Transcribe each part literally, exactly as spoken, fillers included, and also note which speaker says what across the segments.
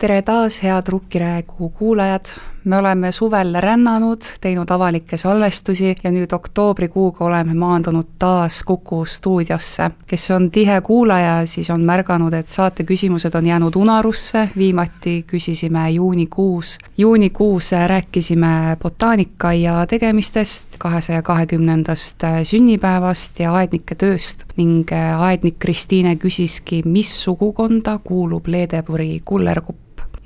Speaker 1: Tere taas, head Rukkiraegu kuulajad! Me oleme suvel rännanud, teinud avalikke salvestusi ja nüüd oktoobrikuuga oleme maandunud taas Kuku stuudiosse. Kes on tihe kuulaja, siis on märganud, et saate küsimused on jäänud unarusse. Viimati küsisime juunikuus. Juunikuus rääkisime botaanika tegemistest, kahesaja kahekümnendast sünnipäevast ja aednike tööst. Ning aednik Kristiine küsiski, mis sugukonda kuulub Leedeburi kullerkupp.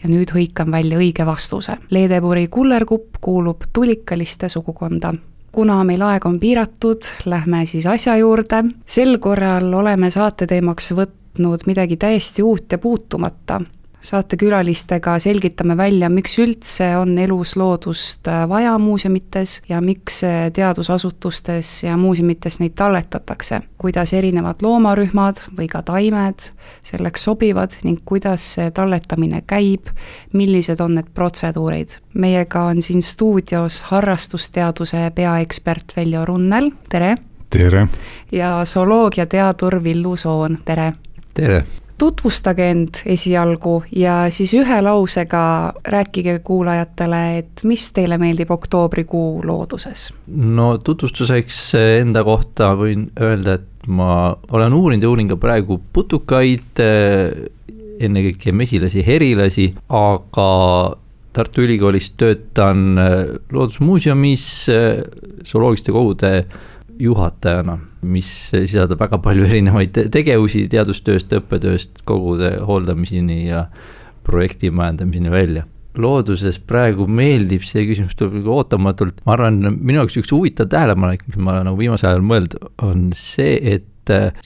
Speaker 1: Ja nüüd hõikan välja õige vastuse. Leedeburi kullerkupp kuulub tulikaliste sugukonda. Kuna meil aeg on piiratud, lähme siis asja juurde. Sel korral oleme saate teemaks võtnud midagi täiesti uut ja puutumata. Saate külalistega selgitame välja, miks üldse on elusloodust vaja muuseumites ja miks teadusasutustes ja muuseumites neid talletatakse. Kuidas erinevad loomarühmad või ka taimed selleks sobivad ning kuidas see talletamine käib, millised on need protseduurid. Meiega on siin stuudios harrastusteaduse peaekspert Veljo Runnel, tere!
Speaker 2: Tere!
Speaker 1: Ja zooloogiateadur Villu Soon, tere!
Speaker 2: Tere!
Speaker 1: Tutvustage end esialgu ja siis ühe lausega rääkige kuulajatele, et mis teile meeldib oktoobrikuu looduses?
Speaker 3: No tutvustuseks enda kohta võin öelda, et ma olen uurinud ja uurin ka praegu putukaid, ennekõike mesilasi, herilasi, aga Tartu Ülikoolis töötan loodusmuuseumis zooloogiliste kogude juhatajana, mis sisaldab väga palju erinevaid tegevusi teadustööst, õppetööst, kogude hooldamiseni ja projekti majandamiseni välja. Looduses praegu meeldib see küsimus tuleb ootamatult. Ma arvan, minu jaoks üks huvitav tähelepanek, mis ma nagu viimasel ajal mõeld, on see, et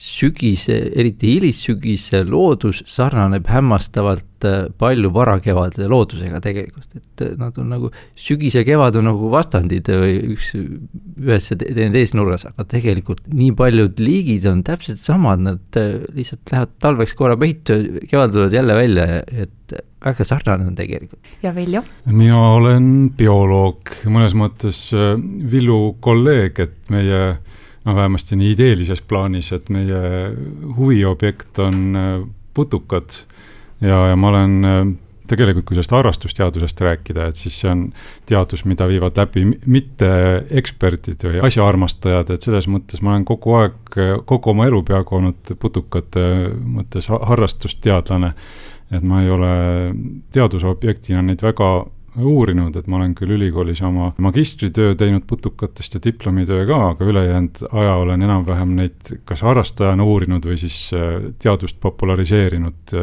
Speaker 3: sügise, eriti hilissügise loodus sarnaneb hämmastavalt palju varakevade loodusega tegelikult, et nad on nagu, sügis ja kevad on nagu vastandid või üks ühes teine teis nurgas, aga tegelikult nii paljud liigid on täpselt samad, nad lihtsalt lähevad talveks korra peitu, kevad tulevad jälle välja, et väga sarnane on tegelikult.
Speaker 1: Ja Veljo?
Speaker 2: Mina olen bioloog, mõnes mõttes Villu kolleeg, et meie no vähemasti nii ideelises plaanis, et meie huviobjekt on putukad ja, ja ma olen tegelikult, kui sellest harrastusteadusest rääkida, et siis see on teadus, mida viivad läbi mitte eksperdid või asjaarmastajad, et selles mõttes ma olen kogu aeg, kogu oma elu peaaegu olnud putukate mõttes harrastusteadlane, et ma ei ole teadusobjektina neid väga uurinud, et ma olen küll ülikoolis oma magistritöö teinud putukatest ja diplomitöö ka, aga ülejäänud aja olen enam-vähem neid kas harrastajana uurinud või siis teadust populariseerinud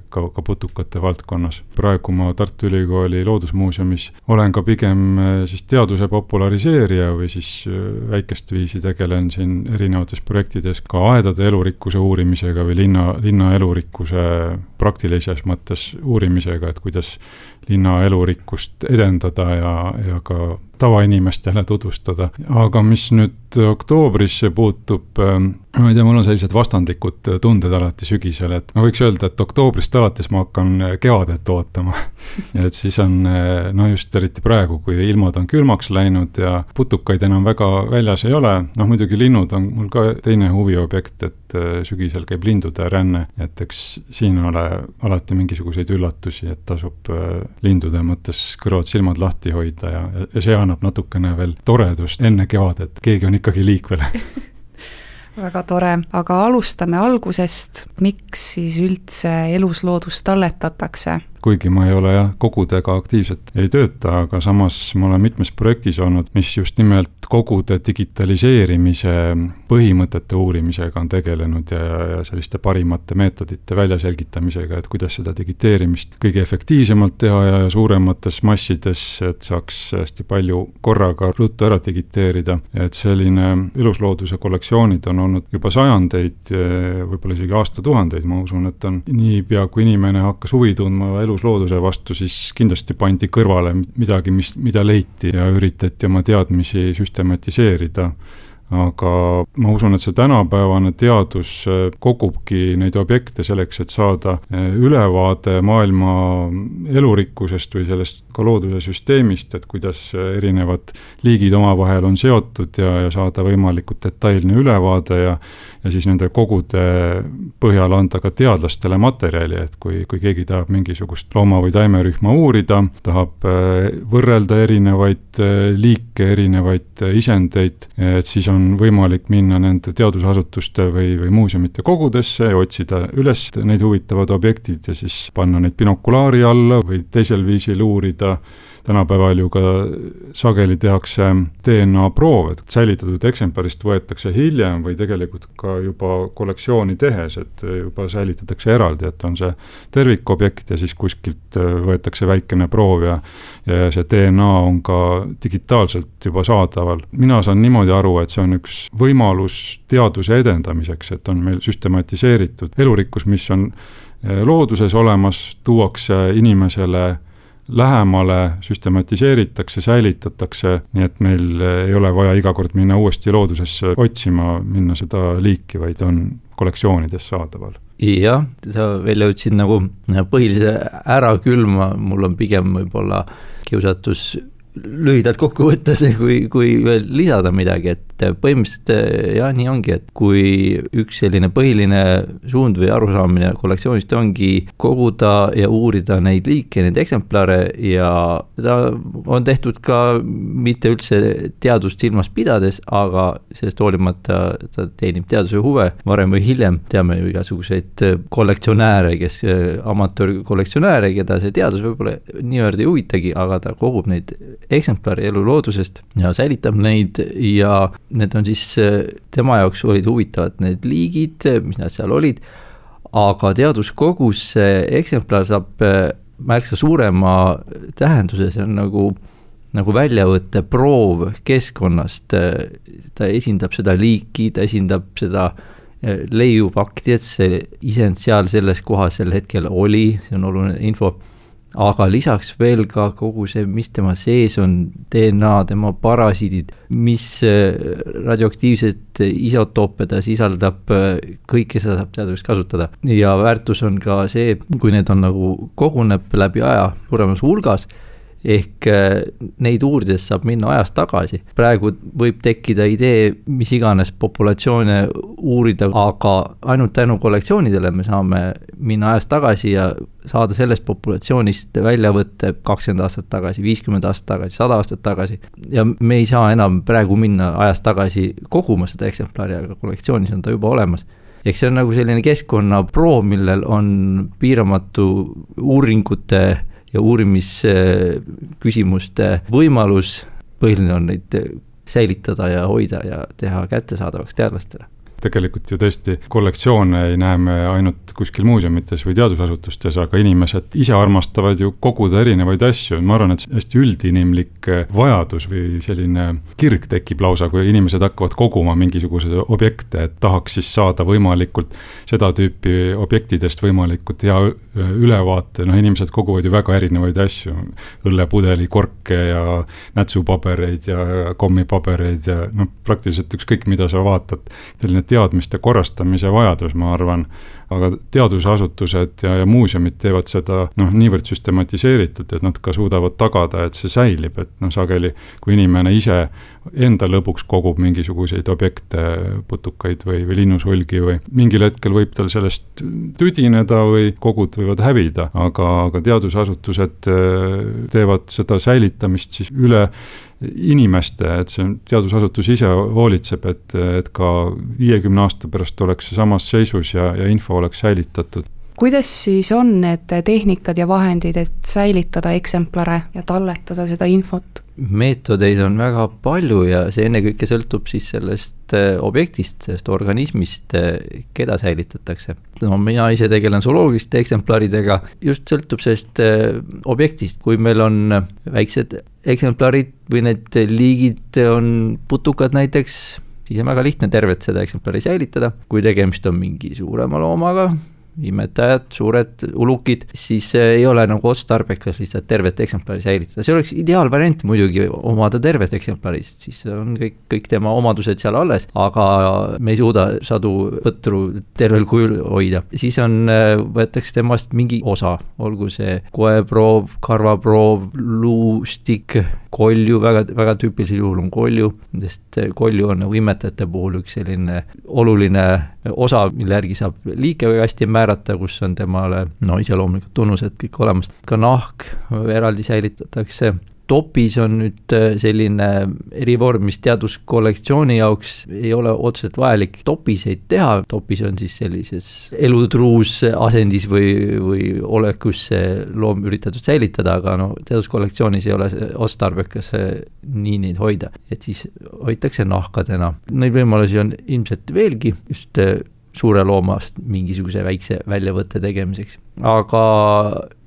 Speaker 2: ka, ka putukate valdkonnas. Praegu ma Tartu Ülikooli loodusmuuseumis olen ka pigem siis teaduse populariseerija või siis väikest viisi tegelen siin erinevates projektides ka aedade elurikkuse uurimisega või linna, linna elurikkuse praktilises mõttes uurimisega, et kuidas linna elurikkust edendada ja, ja ka tavainimest jälle tutvustada. Aga mis nüüd oktoobrisse puutub, ma ei tea, mul on sellised vastandikud tunded alati sügisel, et ma võiks öelda, et oktoobrist alates ma hakkan kevadet ootama. Ja et siis on, no just eriti praegu, kui ilmad on külmaks läinud ja putukaid enam väga väljas ei ole. Noh, muidugi linnud on mul ka teine huviobjekt, et sügisel käib lindude ränne, et eks siin ole alati mingisuguseid üllatusi, et tasub lindude mõttes kõrvad silmad lahti hoida ja, ja see annab natukene veel toredust enne kevadet, keegi on ikkagi liikvel.
Speaker 1: Väga tore, aga alustame algusest, miks siis üldse elusloodust talletatakse?
Speaker 2: Kuigi ma ei ole jah, kogudega aktiivselt ei tööta, aga samas ma olen mitmes projektis olnud, mis just nimelt kogude digitaliseerimise põhimõtete uurimisega on tegelenud ja, ja selliste parimate meetodite väljaselgitamisega, et kuidas seda digiteerimist kõige efektiivsemalt teha ja suuremates massides, et saaks hästi palju korraga ruttu ära digiteerida. Et selline eluslooduse kollektsioonid on olnud juba sajandeid, võib-olla isegi aastatuhandeid, ma usun, et on niipea, kui inimene hakkas huvi tundma eluslooduse vastu, siis kindlasti pandi kõrvale midagi, mis, mida leiti ja üritati oma teadmisi süstematiseerida. aga ma usun, et see tänapäevane teadus kogubki neid objekte selleks, et saada ülevaade maailma elurikkusest või sellest ka looduse süsteemist, et kuidas erinevad liigid omavahel on seotud ja, ja saada võimalikult detailne ülevaade ja, ja siis nende kogude põhjal anda ka teadlastele materjali, et kui, kui keegi tahab mingisugust looma- või taimerühma uurida, tahab võrrelda erinevaid liike, erinevaid isendeid, et siis on võimalik minna nende teadusasutuste või, või muuseumite kogudesse ja otsida üles neid huvitavad objektid ja siis panna neid binokulaari alla või teisel viisil uurida. Tänapäeval ju ka sageli tehakse D N A proov, et säilitatud eksemplarist võetakse hiljem või tegelikult ka juba kollektsiooni tehes, et juba säilitatakse eraldi, et on see tervikobjekt ja siis kuskilt võetakse väikene proov ja, ja see D N A on ka digitaalselt juba saadaval. Mina saan niimoodi aru, et see on üks võimalus teaduse edendamiseks, et on meil süstematiseeritud elurikkus, mis on looduses olemas, tuuakse inimesele lähemale, süstematiseeritakse, säilitatakse, nii et meil ei ole vaja iga kord minna uuesti loodusesse otsima, minna seda liiki, vaid on kollektsioonides saadaval.
Speaker 3: Jah, sa välja ütlesid nagu põhilise ära külma, mul on pigem võib-olla kiusatus lühidalt kokku võttes, kui, kui veel lisada midagi, et põhimõtteliselt jah, nii ongi, et kui üks selline põhiline suund või arusaamine kollektsioonist ongi koguda ja uurida neid liike, neid eksemplare ja seda on tehtud ka mitte üldse teadust silmas pidades, aga sellest hoolimata ta teenib teaduse huve varem või hiljem. Teame ju igasuguseid kollektsionääre, kes amatöörkollektsionääre, keda see teadus võib-olla niivõrd ei huvitagi, aga ta kogub neid eksemplari elu loodusest ja säilitab neid ja need on siis, tema jaoks olid huvitavad need liigid, mis nad seal olid, aga teaduskogus eksemplar saab märksa suurema tähenduse, see on nagu, nagu väljavõtte proov keskkonnast, ta esindab seda liiki, ta esindab seda leiufakti, et see isend seal selles kohas sel hetkel oli, see on oluline info. Aga lisaks veel ka kogu see, mis tema sees on, D N A, tema parasiidid, mis radioaktiivset isotoope ta sisaldab, kõike seda saab teaduseks kasutada. Ja väärtus on ka see, kui need on nagu koguneb läbi aja suuremas hulgas, ehk neid uurides saab minna ajas tagasi. Praegu võib tekkida idee, mis iganes populatsioone uurida, aga ainult tänu kollektsioonidele me saame minna ajas tagasi ja saada sellest populatsioonist välja võtta kakskümmend aastat tagasi, viiskümmend aastat tagasi, sada aastat tagasi. Ja me ei saa enam praegu minna ajas tagasi koguma seda eksemplari, aga kollektsioonis on ta juba olemas. Ehk see on nagu selline keskkonnaproov, millel on piiramatu uuringute ja uurimisküsimuste võimalus, põhiline on neid säilitada ja hoida ja teha kättesaadavaks teadlastele.
Speaker 2: Tegelikult ju tõesti kollektsioone ei näe me ainult kuskil muuseumites või teadusasutustes, aga inimesed ise armastavad ju koguda erinevaid asju. Ma arvan, et hästi üldinimlik vajadus või selline kirg tekib lausa, kui inimesed hakkavad koguma mingisuguse objekte, et tahaks siis saada võimalikult seda tüüpi objektidest võimalikult hea ülevaate. No inimesed koguvad ju väga erinevaid asju, õllepudeli, korke ja nätsupabereid ja kommipabereid ja no, praktiliselt ükskõik, mida sa vaatad, selline teadmiste korrastamise vajadus, ma arvan, aga teadusasutused ja, ja muuseumid teevad seda noh, niivõrd süstematiseeritud, et nad ka suudavad tagada, et see säilib, et noh, sageli, kui inimene ise enda lõbuks kogub mingisuguseid objekte, putukaid või, või linnusulgi või mingil hetkel võib tal sellest tüdineda või kogud võivad hävida, aga, aga teadusasutused teevad seda säilitamist siis üle inimeste, et see teadusasutus ise hoolitseb, et, et ka viiekümne aasta pärast oleks see samas seisus ja, ja info oleks säilitatud.
Speaker 1: Kuidas siis on need tehnikad ja vahendid, et säilitada eksemplare ja talletada seda infot?
Speaker 3: Meetodeid on väga palju ja see ennekõike sõltub siis sellest objektist, sellest organismist, keda säilitatakse. No, mina ise tegelen zooloogiliste eksemplaridega, just sõltub sellest objektist, kui meil on väiksed eksemplarid või need liigid on putukad näiteks, siis on väga lihtne tervet seda eksemplari säilitada. Kui tegemist on mingi suurema loomaga, imetajad, suured ulukid, siis ei ole nagu otstarbekas lihtsalt tervet eksemplari säilitada. See oleks ideaalvariant muidugi omada tervet eksemplarist, siis on kõik, kõik tema omadused seal alles, aga me ei suuda sadu põtru tervel kujul hoida. Siis on, võetakse temast mingi osa, olgu see koeproov, karvaproov, luustik, kolju, väga, väga tüüpilisel juhul on kolju, sest kolju on nagu imetajate puhul üks selline oluline osa, mille järgi saab liike väga hästi määrata, kus on temale no iseloomulikud tunnused kõik olemas. Ka nahk eraldi säilitatakse. Topis on nüüd selline erivorm, mis teaduskollektsiooni jaoks ei ole otseselt vajalik topiseid teha. Topis on siis sellises elutruus asendis või, või olekus loom üritatud säilitada, aga no teaduskollektsioonis ei ole otstarbekas nii neid hoida. Et siis hoitakse nahkadena. Neid võimalusi on ilmselt veelgi just suure loomast mingisuguse väikse väljavõtte tegemiseks. Aga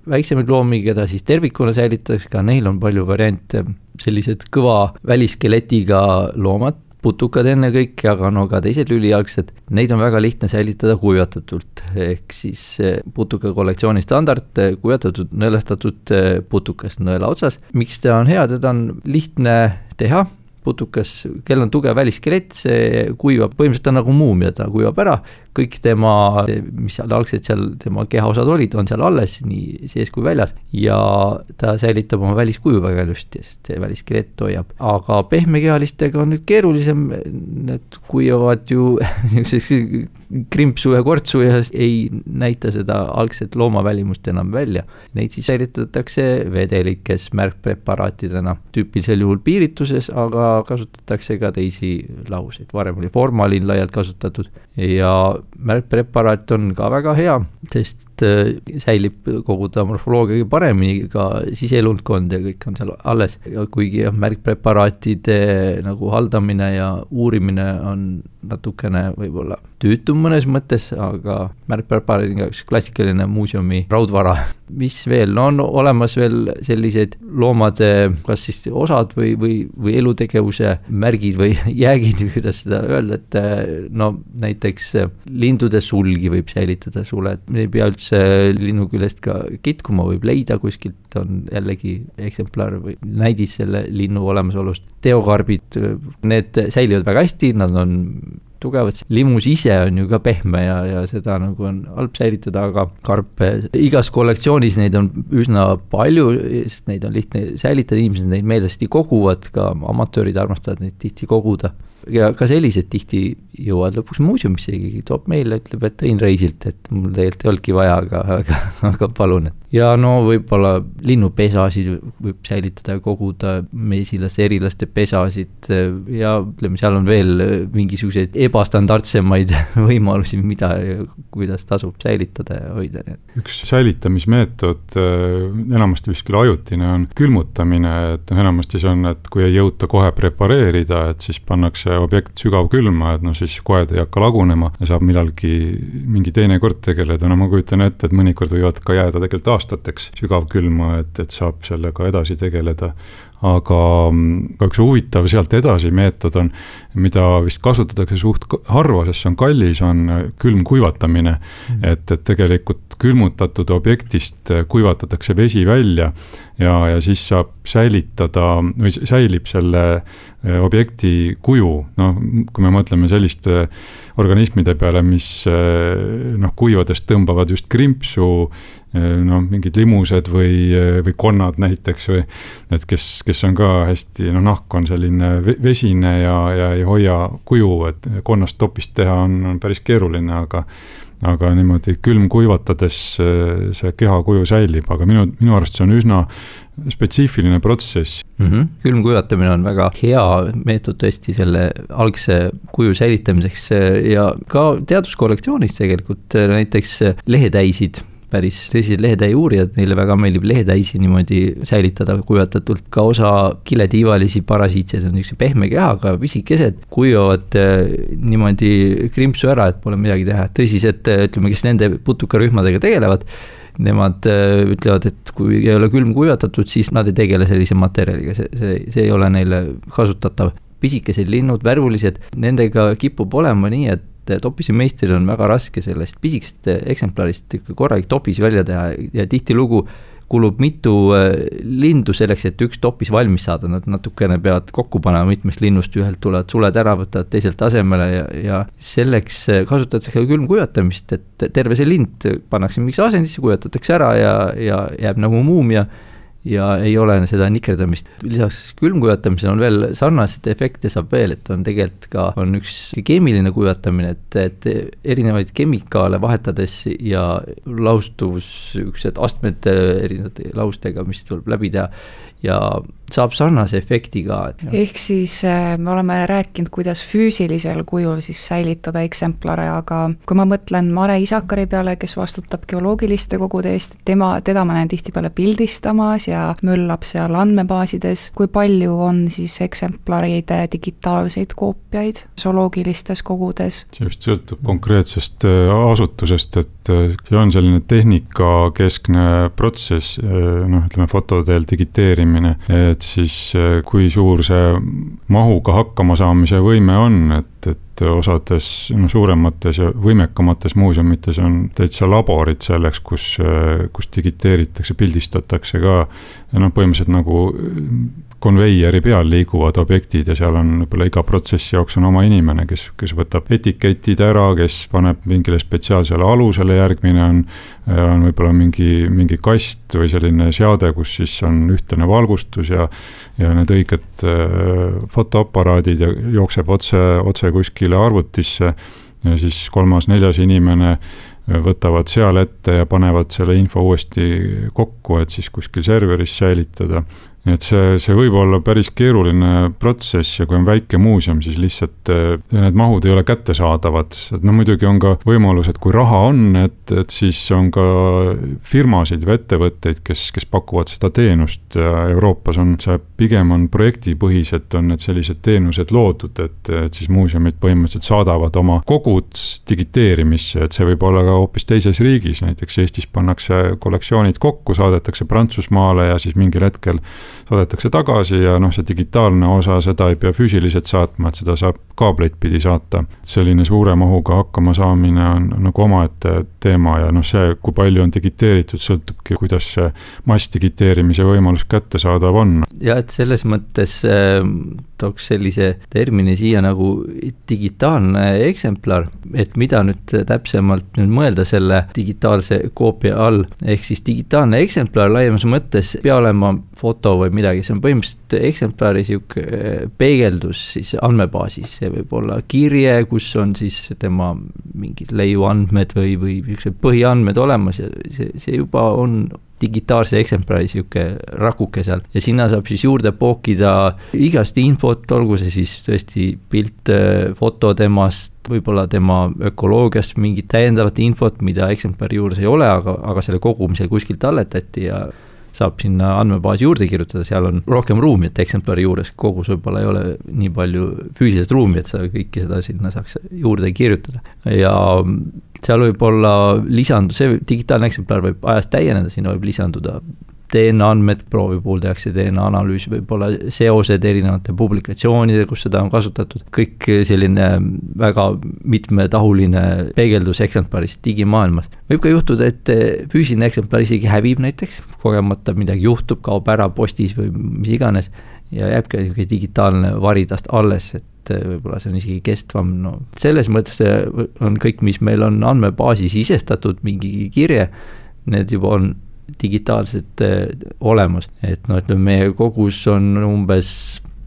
Speaker 3: väiksemaid loomi, keda siis tervikuna säilitatakse, ka neil on palju variante, sellised kõva väliskeletiga loomad, putukad enne kõik, aga no ka teised lülijalgsed, neid on väga lihtne säilitada kuivatatult, ehk siis putuka kollektsiooni standard kuivatatud, nõelastatud putukas nõela otsas. Miks ta on hea, teda on lihtne teha, putukas, kel on tugev väliskelett, see kuivab, põhimõtteliselt on nagu muumia, ta kuivab ära, kõik tema, mis seal algselt seal tema kehaosad olid, on seal alles, nii sees kui väljas, ja ta säilitab oma väliskuju väga ilusti, sest see väliskelett hoiab. Aga pehmekehalistega on nüüd keerulisem, need kuivavad ju krimpsu ja kortsu ja ei näita seda algset loomavälimust enam välja. Neid siis säilitatakse vedelikes märkpreparaatidena, tüüpilisel juhul piirituses, aga kasutatakse ka teisi lahuseid. Varem oli formalin laialt kasutatud ja märkpreparaat on ka väga hea, sest säilib kogu ta morfoloogia paremini, ka siseelundkond ja kõik on seal alles. Kuigi märkpreparaatide nagu haldamine ja uurimine on natukene võib-olla tüütum mõnes mõttes, aga märkpreparaadiga üks klassikaline muuseumi raudvara. Mis veel? No on olemas veel selliseid loomade, kas siis osad või, või, või elutegevuse märgid või jäägid, kuidas seda öelda, et no näiteks lindude sulgi võib säilitada sule, et ei pea üldse linnu küljest ka kitkuma, võib leida kuskilt, on jällegi eksemplar või näidis selle linnu olemasolust. Teokarbid, need säilivad väga hästi, nad on tugevad. Limus ise on ju ka pehme ja, ja seda nagu on halb säilitada, aga karpe igas kollektsioonis neid on üsna palju, sest neid on lihtne säilitada, inimesed neid meelesti koguvad, ka amatöörid armastavad neid tihti koguda. Ja ka sellised tihti jõuavad lõpuks muuseumisse, keegi toob meile, ütleb, et tõin reisilt, et mul tegelikult ei olnudki vaja, aga, aga, aga palun. Ja no võib-olla linnupesasid võib säilitada ja koguda, mesilaste, erilaste pesasid ja ütleme, seal on veel mingisuguseid ebastandardsemaid võimalusi, mida, kuidas tasub säilitada ja hoida.
Speaker 2: Üks säilitamismeetod, enamasti vist küll ajutine, on külmutamine, et enamasti see on, et kui ei jõuta kohe prepareerida, et siis pannakse objekt sügav külma, et no siis koed ei hakka lagunema ja saab millalgi mingi teine kord tegeleda. No ma kujutan ette, et mõnikord võivad ka jääda tegelikult aastateks sügav külma, et, et saab sellega edasi tegeleda. Aga ka üks huvitav sealt edasi meetod on, mida vist kasutatakse suht harva, sest see on kallis, on külmkuivatamine, mm. et, et tegelikult külmutatud objektist kuivatatakse vesi välja ja, ja siis saab säilitada või säilib selle objekti kuju. No, kui me mõtleme selliste organismide peale, mis noh, kuivadest tõmbavad just krimpsu, no, mingid limused või, või konnad näiteks, või, et kes, kes on ka hästi, no nahk on selline vesine ja, ja ei hoia kuju, et konnast topist teha on, on päris keeruline, aga aga niimoodi külm kuivatades see keha kuju säilib, aga minu, minu arust see on üsna spetsiifiline protsess.
Speaker 3: Mm-hmm. Külm kuivatamine on väga hea meetod tõesti selle algse kuju säilitamiseks ja ka teaduskollektsioonis tegelikult näiteks lehetäisid, päris tõsised lehetäi uurijad, neile väga meeldib lehetäisi niimoodi säilitada kuivatatult. Ka osa kiletiivalisi parasiitsed on üks pehme kehaga, pisikesed, kuivavad niimoodi krimpsu ära, et pole midagi teha. Tõsised, ütleme, kes nende putukarühmadega tegelevad, nemad ütlevad, et kui ei ole külm kuivatatud, siis nad ei tegele sellise materjaliga, see, see, see ei ole neile kasutatav. Pisikesed linnud, värvulised, nendega kipub olema nii, et et topisi meistril on väga raske sellest pisikest eksemplarist korralik topis välja teha ja tihti lugu kulub mitu lindu selleks, et üks topis valmis saada, nad natukene peavad kokku panema mitmest linnust, ühelt tulevad suled ära, võtavad teiselt asemele ja, ja selleks kasutatakse ka külmkuivatamist, et terve see lind pannakse mingi asendisse, kuivatatakse ära ja, ja jääb nagu muumia ja ei ole seda nikerdamist. Lisaks külmkuivatamisel on veel sarnaseid efekte saab veel, et on tegelikult ka on üks keemiline kuivatamine, et, et erinevaid kemikaale vahetades ja laustuvus, üksed astmed erinevate laustega, mis tuleb läbi teha ja saab sarnase efekti ka.
Speaker 1: Ehk siis me oleme rääkinud, kuidas füüsilisel kujul siis säilitada eksemplare, aga kui ma mõtlen Mare Isakari peale, kes vastutab geoloogiliste kogude eest, tema, teda ma näen tihtipeale pildistamas ja möllab seal andmebaasides, kui palju on siis eksemplaride digitaalseid koopiaid zooloogilistes kogudes?
Speaker 2: See just sõltub konkreetsest asutusest, et see on selline tehnikakeskne protsess, noh, ütleme fotodel digiteerimine, et siis kui suur see mahuga hakkama saamise võime on, et, et osades no, suuremates ja võimekamates muuseumites on täitsa laborid selleks, kus, kus digiteeritakse, pildistatakse ka ja noh, põhimõtteliselt nagu konveieri peal liiguvad objektid ja seal on võib-olla iga protsessi jaoks on oma inimene, kes, kes võtab etiketid ära, kes paneb mingile spetsiaalsele alusele, järgmine on, on võib-olla mingi, mingi kast või selline seade, kus siis on ühtne valgustus ja, ja need õiged fotoaparaadid ja jookseb otse, otse kuskile arvutisse ja siis kolmas, neljas inimene võtavad seal ette ja panevad selle info uuesti kokku, et siis kuskil serveris säilitada. Et see, see võib olla päris keeruline protsess ja kui on väike muuseum, siis lihtsalt need mahud ei ole kättesaadavad. Et no muidugi on ka võimalus, et kui raha on, et, et siis on ka firmasid või ettevõtteid, kes, kes pakuvad seda teenust ja Euroopas on see pigem on projektipõhiselt on need sellised teenused loodud, et, et siis muuseumid põhimõtteliselt saadavad oma kogud digiteerimisse, et see võib olla ka hoopis teises riigis, näiteks Eestis pannakse kollektsioonid kokku, saadetakse Prantsusmaale ja siis mingil hetkel saadetakse tagasi ja noh, see digitaalne osa, seda ei pea füüsiliselt saatma, et seda saab kaableid pidi saata. Selline suure mahuga hakkama saamine on nagu omaette teema ja noh, see, kui palju on digiteeritud, sõltubki, kuidas see massdigiteerimise võimalus kättesaadav on.
Speaker 3: Ja et selles mõttes äh, tooks sellise termini siia nagu digitaalne eksemplar, et mida nüüd täpsemalt nüüd mõelda selle digitaalse koopia all, ehk siis digitaalne eksemplar laiemas mõttes pea olema foto või midagi, see on põhimõtteliselt eksemplari siuke peegeldus siis andmebaasis, see võib olla kirje, kus on siis tema mingid leiuandmed või, või põhiandmed olemas ja see, see juba on digitaalse eksemplari siuke rakuke seal ja sinna saab siis juurde pookida igast infot, olgu see siis tõesti pilt, foto temast, võib-olla tema ökoloogiast mingit täiendavat infot, mida eksemplari juures ei ole, aga, aga selle kogumisel kuskilt talletati ja saab sinna andmebaasi juurde kirjutada, seal on rohkem ruumi, et eksemplari juures kogus võib-olla ei ole nii palju füüsilist ruumi, et sa kõiki seda sinna saaks juurde kirjutada. Ja seal võib olla lisandu, see digitaalne eksemplar võib ajast täieneda, sinna võib lisanduda D N A andmed, proovi puhul tehakse D N A analüüs, võib-olla seosed erinevate publikatsioonide, kus seda on kasutatud. Kõik selline väga mitmetahuline peegeldus eksemplarist digimaailmas. Võib ka juhtuda, et füüsiline eksemplar isegi hävib näiteks, kogemata midagi juhtub, kaob ära postis või mis iganes ja jääbki digitaalne varitast alles, et võib-olla see on isegi kestvam. No, selles mõttes on kõik, mis meil on andmebaasi sisestatud, mingi kirje, need juba on digitaalselt olemas, et no, et meie kogus on umbes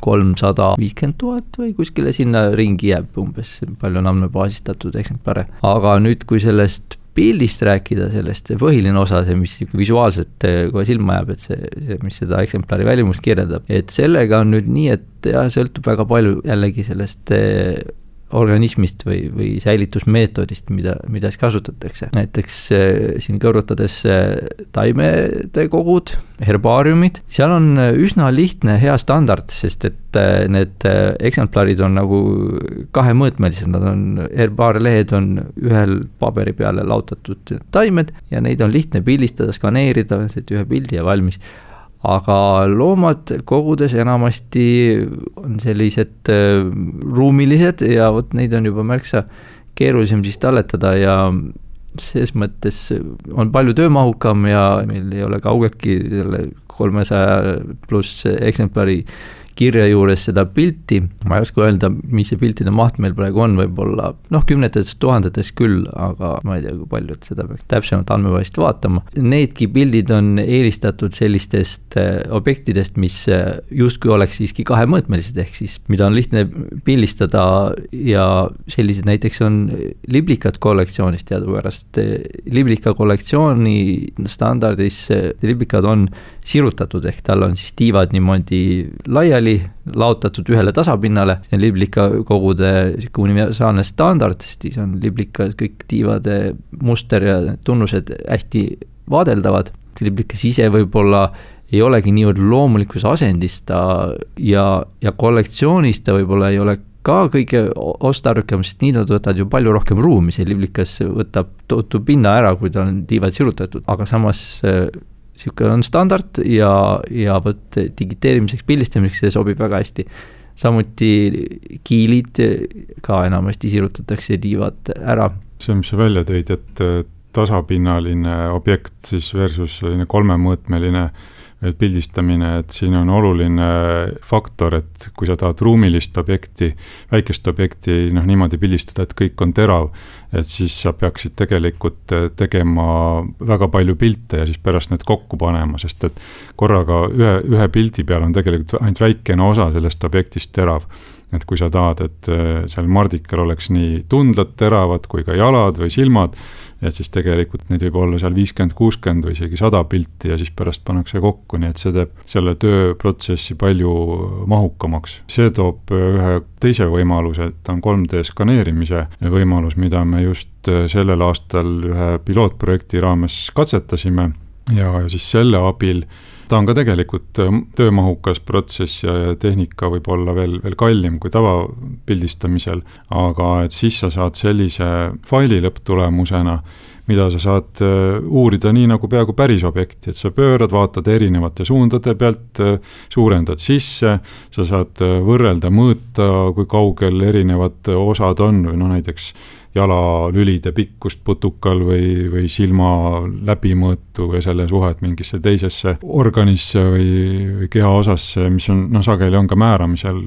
Speaker 3: kolmsada viiskümmend tuhat või kuskile sinna ringi jääb umbes, palju on andmebaasistatud eksemplare. Aga nüüd, kui sellest pildist rääkida, sellest põhiline osa, see, mis visuaalselt kohe silma jääb, et see, see, mis seda eksemplari välimust kirjeldab, et sellega on nüüd nii, et jah, sõltub väga palju jällegi sellest organismist või, või säilitusmeetodist, mida, mida siis kasutatakse. Näiteks äh, siin kõrvutades äh, taimede kogud, herbaariumid, seal on üsna lihtne hea standard, sest et äh, need äh, eksemplarid on nagu kahemõõtmelised, nad on, herbaarlehed on ühel paberi peale lautatud taimed ja neid on lihtne pildistada, skaneerida, ühe pildi ja valmis. Aga loomad kogudes enamasti on sellised äh, ruumilised ja vot neid on juba märksa keerulisem siis talletada ja selles mõttes on palju töömahukam ja meil ei ole kaugeltki selle kolmesaja pluss eksemplari kirja juures seda pilti, ma ei oska öelda, mis see piltide maht meil praegu on, võib-olla noh, kümnetes tuhandetes küll, aga ma ei tea, kui palju, et seda peaks täpsemalt andmebaasist vaatama. Needki pildid on eelistatud sellistest objektidest, mis justkui oleks siiski kahemõõtmelised, ehk siis mida on lihtne pildistada ja sellised näiteks on liblikad kollektsioonist teadupärast. Liblika kollektsiooni standardis liblikad on sirutatud, ehk tal on siis tiivad niimoodi laiali laotatud ühele tasapinnale, see on liblika kogude universaalne standard, siis on liblika kõik tiivade muster ja tunnused hästi vaadeldavad, liblikas ise võib-olla ei olegi niivõrd loomulikus asendis ta ja, ja kollektsioonis ta võib-olla ei ole ka kõige ostarukam, sest nii nad võtavad ju palju rohkem ruumi, see liblikas võtab tohutu pinna ära, kui ta on tiivad sirutatud, aga samas siuke on standard ja, ja võt digiteerimiseks, pildistamiseks see sobib väga hästi. Samuti kiilid ka enamasti sirutatakse tiivad ära.
Speaker 2: See, mis sa välja tõid, et tasapinnaline objekt siis versus kolmemõõtmeline pildistamine, et siin on oluline faktor, et kui sa tahad ruumilist objekti, väikest objekti noh, niimoodi pildistada, et kõik on terav, et siis sa peaksid tegelikult tegema väga palju pilte ja siis pärast need kokku panema, sest et korraga ühe, ühe pildi peal on tegelikult ainult väikene osa sellest objektist terav. Et kui sa tahad, et seal mardikal oleks nii tundlad teravad kui ka jalad või silmad, et siis tegelikult neid võib olla seal viiskümmend, kuuskümmend või isegi sada pilti ja siis pärast pannakse kokku, nii et see teeb selle tööprotsessi palju mahukamaks. See toob ühe teise võimaluse, et on kolm D skaneerimise võimalus, mida me just sellel aastal ühe pilootprojekti raames katsetasime ja siis selle abil ta on ka tegelikult töömahukas protsess ja tehnika võib olla veel, veel kallim kui tavapildistamisel, aga et siis sa saad sellise faili lõpptulemusena, mida sa saad uurida nii nagu peaaegu päris objekti, et sa pöörad, vaatad erinevate suundade pealt, suurendad sisse, sa saad võrrelda, mõõta, kui kaugel erinevad osad on, või no näiteks jalalülide pikkust putukal või, või silma läbimõõtu või selle suhet mingisse teisesse organisse või, või keha osasse, mis on, noh, sageli on ka määramisel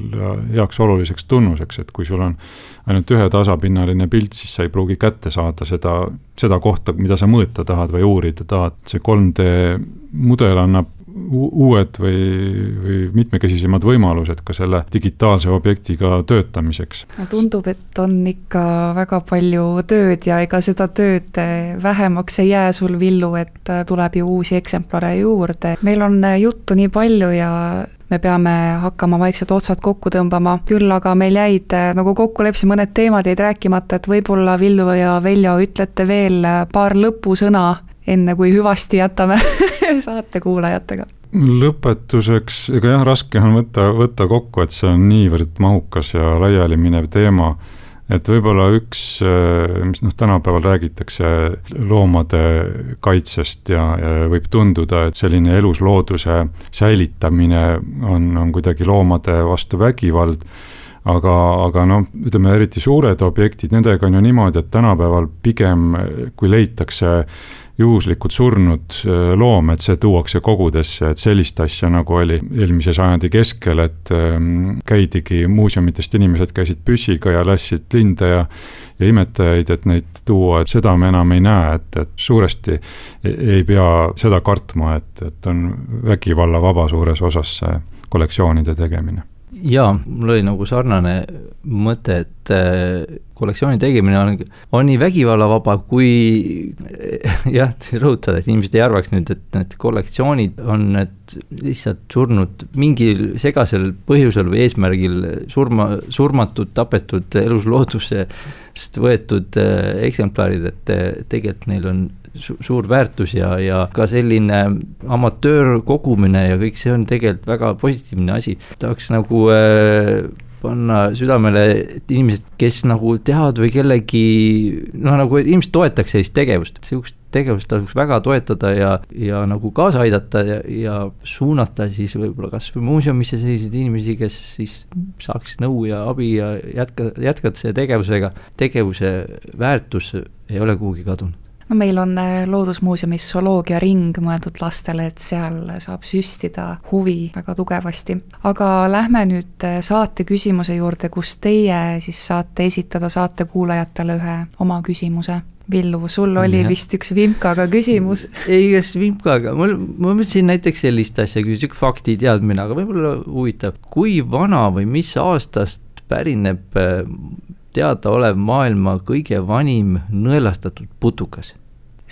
Speaker 2: heaks oluliseks tunnuseks, et kui sul on ainult ühe tasapinnaline pilt, siis sa ei pruugi kätte saada seda, seda kohta, mida sa mõõta tahad või uurida tahad. See kolm D mudel annab uued või, või mitmekesisemad võimalused ka selle digitaalse objektiga töötamiseks.
Speaker 1: Tundub, et on ikka väga palju tööd ja ega seda tööd vähemaks ei jää sul, Villu, et tuleb ju uusi eksemplare juurde. Meil on juttu nii palju ja me peame hakkama vaikselt otsad kokku tõmbama, küll aga meil jäid, nagu kokku lepsi, mõned teemad jäid rääkimata, et võib-olla Villu ja Veljo ütlete veel paar lõpusõna, enne kui hüvasti jätame saate kuulajatega.
Speaker 2: Lõpetuseks, ega jah, raske on võtta, võtta kokku, et see on niivõrd mahukas ja laiali minev teema, et võib-olla üks, mis noh, tänapäeval räägitakse loomade kaitsest ja, ja võib tunduda, et selline eluslooduse säilitamine on, on kuidagi loomade vastu vägivald, aga, aga noh, ütleme eriti suured objektid, nendega on ju niimoodi, et tänapäeval pigem, kui leitakse juhuslikud surnud loom, et see tuuakse kogudesse, et sellist asja nagu oli eelmise sajandi keskel, et käidigi muuseumitest, inimesed käisid püssiga ja lässid linde ja, ja imetajaid, et neid tuua, et seda me enam ei näe, et, et suuresti ei pea seda kartma, et, et on vägivalla vaba suures osas see kollektsioonide tegemine.
Speaker 3: Jaa, mul oli nagu sarnane mõte, et kollektsiooni tegemine on, on nii vägivallavaba, kui jah, rõhutada, et inimesed ei arvaks nüüd, et need kollektsioonid on need lihtsalt surnud mingil segasel põhjusel või eesmärgil surma, surmatud, tapetud elusloodusest võetud eksemplarid, et tegelikult neil on suur väärtus ja, ja ka selline amatöör kogumine ja kõik see on tegelikult väga positiivne asi. Tahaks nagu äh, panna südamele, et inimesed, kes nagu teavad või kellegi, noh nagu inimesed toetaks sellist tegevust, sellist tegevust tasuks väga toetada ja, ja nagu kaasa aidata ja, ja suunata siis võib-olla kas või muuseumisse selliseid inimesi, kes siis saaks nõu ja abi ja jätka, jätkata selle tegevusega. Tegevuse väärtus ei ole kuhugi kadunud.
Speaker 1: No meil on Loodusmuuseumis zooloogia ring mõeldud lastele, et seal saab süstida huvi väga tugevasti. Aga lähme nüüd saate küsimuse juurde, kus teie siis saate esitada saate kuulajatele ühe oma küsimuse. Villu, sul oli ja. Vist üks Vimkaga küsimus.
Speaker 3: Ei, kas Vimkaga, mul, ma mõtlesin näiteks sellist asja, kui üks fakti teadmine, aga võib-olla huvitav. Kui vana või mis aastast pärineb teada olev maailma kõige vanim nõelastatud putukas?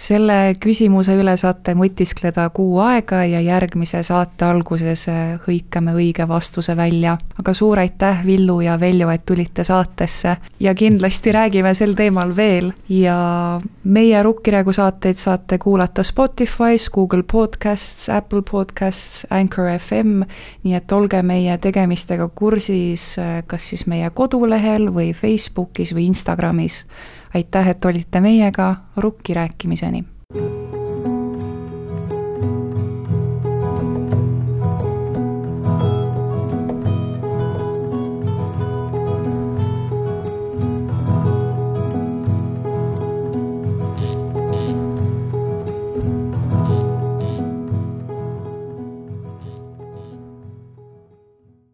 Speaker 1: Selle küsimuse üle saate mõtiskleda kuu aega ja järgmise saate alguses hõikame õige vastuse välja. Aga suur aitäh, Villu ja Veljo, et tulite saatesse ja kindlasti räägime sel teemal veel. Ja meie Rukkiregu saateid saate kuulata Spotify's, Google Podcasts, Apple Podcasts, Anchor F M, nii et olge meie tegemistega kursis kas siis meie kodulehel või Facebookis või Instagramis. Aitäh, et olite meiega, Rukki rääkimiseni!